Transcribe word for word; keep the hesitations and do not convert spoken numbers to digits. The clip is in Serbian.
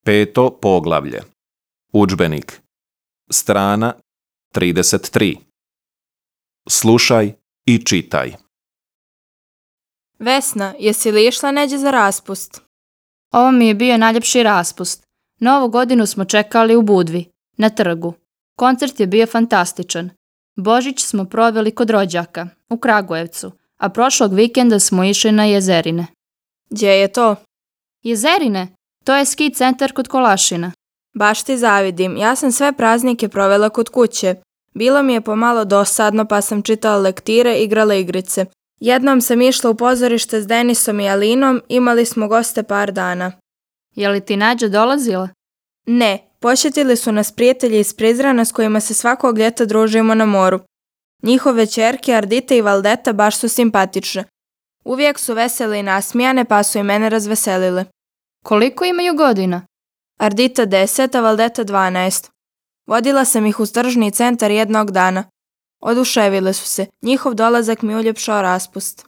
Peto poglavlje. Udžbenik. Strana trideset tri. Slušaj i čitaj. Vesna, jesi li išla neđe za raspust? Ovo mi je bio najljepši raspust. Novu godinu smo čekali u Budvi, na trgu. Koncert je bio fantastičan. Božić smo proveli kod rođaka, u Kragujevcu, a prošlog vikenda smo išli na Jezerine. Gdje je to? Jezerine? To je ski centar kod Kolašina. Baš ti zavidim, ja sam sve praznike provela kod kuće. Bilo mi je pomalo dosadno pa sam čitala lektire i igrala igrice. Jednom sam išla u pozorište s Denisom i Alinom, imali smo goste par dana. Je li ti Nađa dolazila? Ne, posjetili su nas prijatelji iz Prizrena s kojima se svakog ljeta družimo na moru. Njihove ćerke Ardita i Valdeta baš su simpatične. Uvijek su vesele i nasmijane pa su i mene razveselile. Koliko imaju godina? Ardita deset, a Valdeta dvanaest. Vodila sam ih u tržni centar jednog dana. Oduševile su se, njihov dolazak mi uljepšao raspust.